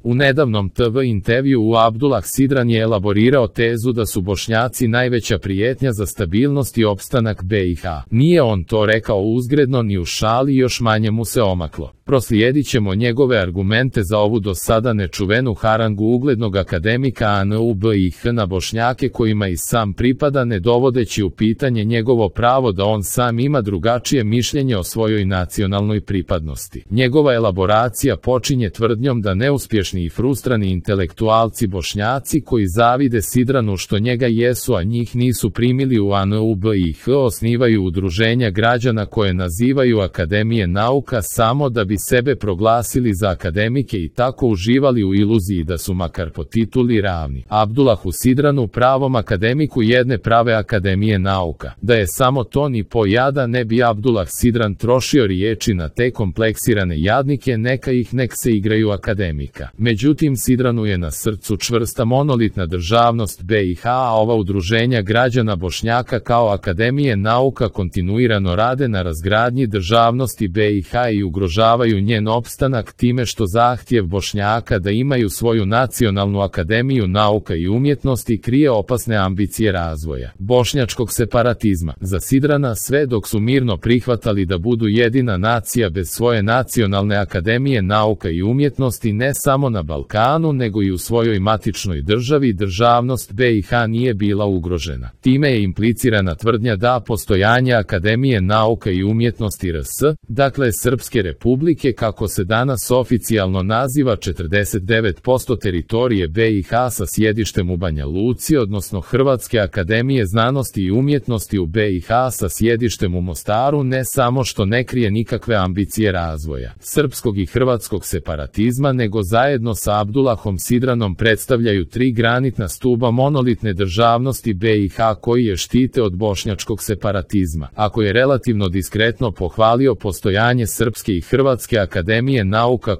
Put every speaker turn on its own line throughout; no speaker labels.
U nedavnom TV intervjuu Abdullah Sidran je elaborirao tezu da su Bošnjaci najveća prijetnja za stabilnost i opstanak BiH. Nije on to rekao uzgredno ni u šali, još manje mu se omaklo. Proslijedit ćemo njegove argumente za ovu do sada nečuvenu harangu uglednog akademika ANU BiH na Bošnjake kojima i sam pripada, ne dovodeći u pitanje njegovo pravo da on sam ima drugačije mišljenje o svojoj nacionalnoj pripadnosti. Njegova elaboracija počinje tvrdnjom da neuspješni i frustrani intelektualci Bošnjaci koji zavide Sidranu što njega jesu a njih nisu primili u ANU BiH osnivaju udruženja građana koje nazivaju Akademije nauka samo da bi sebe proglasili za akademike i tako uživali u iluziji da su makar po tituli ravni Abdullahu Sidranu, pravom akademiku jedne prave akademije nauka. Da je samo to ni po jada ne bi Abdullah Sidran trošio riječi na te kompleksirane jadnike, neka se igraju akademika. Međutim, Sidranu je na srcu čvrsta monolitna državnost BiH, a ova udruženja građana Bošnjaka kao akademije nauka kontinuirano rade na razgradnji državnosti BiH i ugrožavaju njen opstanak time što zahtjev Bošnjaka da imaju svoju nacionalnu akademiju nauka i umjetnosti krije opasne ambicije razvoja bošnjačkog separatizma. Za Sidrana sve dok su mirno prihvatali da budu jedina nacija bez svoje nacionalne akademije nauka i umjetnosti ne samo na Balkanu nego i u svojoj matičnoj državi, državnost BiH nije bila ugrožena. Time je implicirana tvrdnja da postojanje Akademije nauka i umjetnosti RS, dakle Srpske republike kako se danas oficijalno naziva 49% teritorije BiH sa sjedištem u Banja Luci, odnosno Hrvatske akademije znanosti i umjetnosti u BiH sa sjedištem u Mostaru, ne samo što ne krije nikakve ambicije razvoja srpskog i hrvatskog separatizma, nego zajedno sa Abdullahom Sidranom predstavljaju tri granitna stuba monolitne državnosti BiH koji je štite od bošnjačkog separatizma. Ako je relativno diskretno pohvalio postojanje Srpske i Hrvatske akademije nauka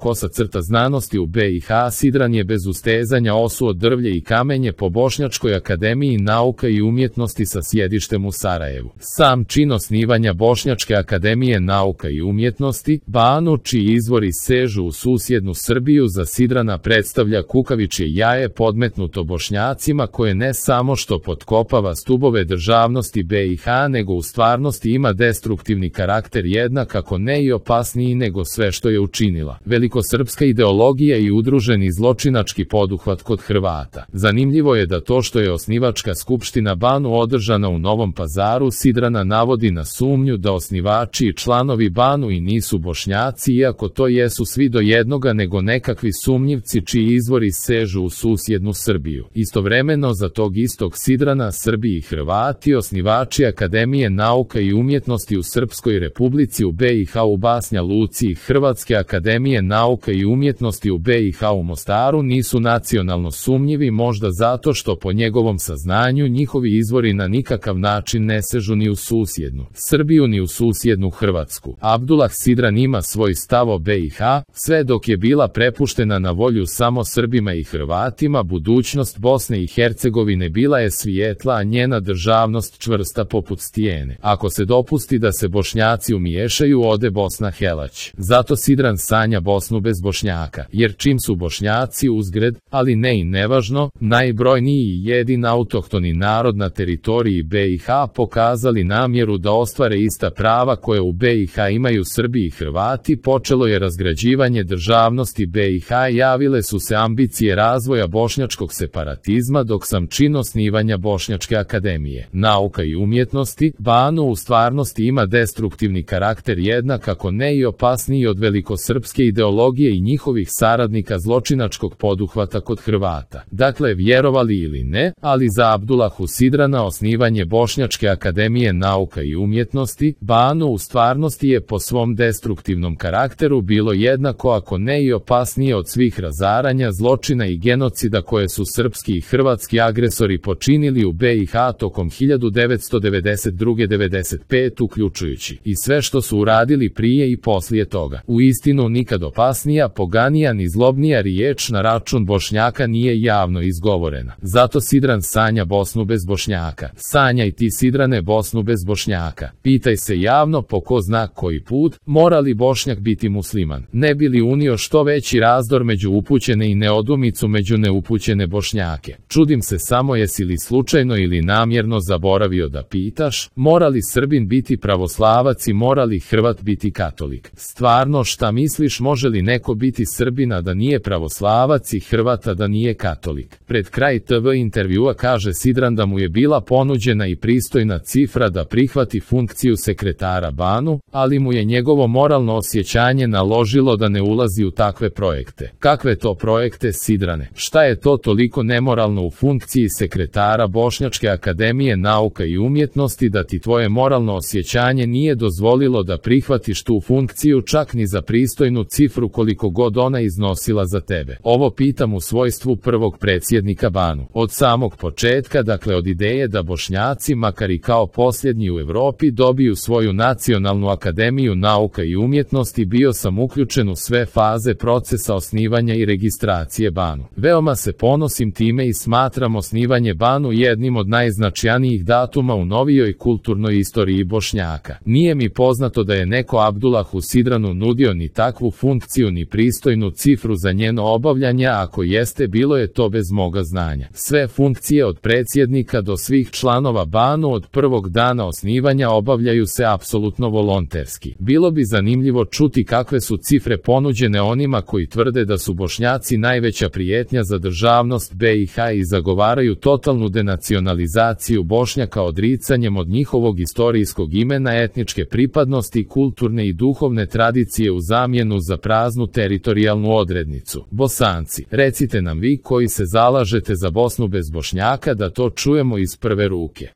/ znanosti u BiH, Sidran je bez ustezanja osuo drvlje i kamenje po Bošnjačkoj akademiji nauka i umjetnosti sa sjedištem u Sarajevu. Sam čin osnivanja Bošnjačke akademije nauka i umjetnosti, BANU, čiji izvori sežu u susjednu Srbiju, za Sidrana predstavlja kukavičje jaje podmetnuto Bošnjacima koje ne samo što potkopava stubove državnosti BiH nego u stvarnosti ima destruktivni karakter, jednak ako ne i opasniji nego sve što je učinila velikosrpska ideologija i udruženi zločinački poduhvat kod Hrvata. Zanimljivo je da to što je osnivačka skupština BANU održana u Novom Pazaru Sidrana navodi na sumnju da osnivači i članovi BANU i nisu Bošnjaci, iako to jesu svi do jednoga nego nekakvi sumnjivci čiji izvori sežu u susjednu Srbiju. Istovremeno za tog istog Sidrana Srbi i Hrvati, osnivači Akademije nauka i umjetnosti u Srpskoj republici u BiH u Banja Luci i Hrvatske akademije nauka i umjetnosti u BiH u Mostaru nisu nacionalno sumnjivi, možda zato što po njegovom saznanju njihovi izvori na nikakav način ne sežu ni u susjednu Srbiju ni u susjednu Hrvatsku. Abdullah Sidran ima svoj stav o BiH, sve dok je bila prepuštena na volju samo Srbima i Hrvatima, budućnost Bosne i Hercegovine bila je svijetla, a njena državnost čvrsta poput stijene. Ako se dopusti da se Bošnjaci umiješaju, ode Bosna helać. Zato Sidran sanja Bosnu bez Bošnjaka, jer čim su Bošnjaci uzgred, ali ne i nevažno, najbrojniji i jedin autohtoni narod na teritoriji BiH pokazali namjeru da ostvare ista prava koje u BiH imaju Srbi i Hrvati, počelo je razgrađivanje državnosti BiH, javile su se ambicije razvoja bošnjačkog separatizma, dok sam čin osnivanja Bošnjačke akademije nauka i umjetnosti, BANU, u stvarnosti ima destruktivni karakter, jednak ako ne i opasniji od velikosrpske ideologije i njihovih saradnika zločinačkog poduhvata kod Hrvata. Dakle, vjerovali ili ne, ali za Abdullahu Sidrana osnivanje Bošnjačke akademije nauka i umjetnosti, BANU, u stvarnosti je po svom destruktivnom karakteru bilo jednako ako ne i opasnije od svih razaranja, zločina i genocida koje su srpski i hrvatski agresori počinili u BiH tokom 1992-95 uključujući i sve što su uradili prije i poslije toga. toga. Uistinu nikad opasnija, poganija ni zlobnija riječ na račun Bošnjaka nije javno izgovorena. Zato Sidran sanja Bosnu bez Bošnjaka. Sanjaj ti, Sidrane, Bosnu bez Bošnjaka. Pitaj se javno po ko zna koji put, mora li Bošnjak biti musliman, ne bi li unio što veći razdor među upućene i neodumicu među neupućene Bošnjake. Čudim se samo jesi li slučajno ili namjerno zaboravio da pitaš, mora li Srbin biti pravoslavac i mora li Hrvat biti katolik? Stvarno, šta misliš, može li neko biti Srbina da nije pravoslavac i Hrvata da nije katolik? Pred kraj TV intervjua kaže Sidran da mu je bila ponuđena i pristojna cifra da prihvati funkciju sekretara Banu, ali mu je njegovo moralno osjećanje naložilo da ne ulazi u takve projekte. Kakve to projekte, Sidrane? Šta je to toliko nemoralno u funkciji sekretara Bošnjačke akademije nauka i umjetnosti da ti tvoje moralno osjećanje nije dozvolilo da prihvatiš tu funkciju čak ni za pristojnu cifru koliko god ona iznosila za tebe? Ovo pitam u svojstvu prvog predsjednika Banu. Od samog početka, dakle od ideje da Bošnjaci, makar i kao posljednji u Europi, dobiju svoju nacionalnu akademiju nauka i umjetnosti, bio sam uključen u sve faze procesa osnivanja i registracije Banu. Veoma se ponosim time i smatram osnivanje Banu jednim od najznačajnijih datuma u novijoj kulturnoj istoriji Bošnjaka. Nije mi poznato da je neko Abdulahu Sidranu nudio ni takvu funkciju ni pristojnu cifru za njeno obavljanje, a ako jeste, bilo je to bez moga znanja. Sve funkcije od predsjednika do svih članova Banu od prvog dana osnivanja obavljaju se apsolutno volonterski. Bilo bi zanimljivo čuti kakve su cifre ponuđene onima koji tvrde da su Bošnjaci najveća prijetnja za državnost BiH i zagovaraju totalnu denacionalizaciju Bošnjaka odricanjem od njihovog istorijskog imena, etničke pripadnosti, kulturne i duhovne tradicije u zamjenu za praznu teritorijalnu odrednicu. Bosanci, recite nam vi koji se zalažete za Bosnu bez Bošnjaka da to čujemo iz prve ruke.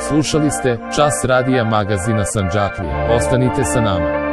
Slušali ste Čas radija magazina Sandžaklija. Ostanite sa nama.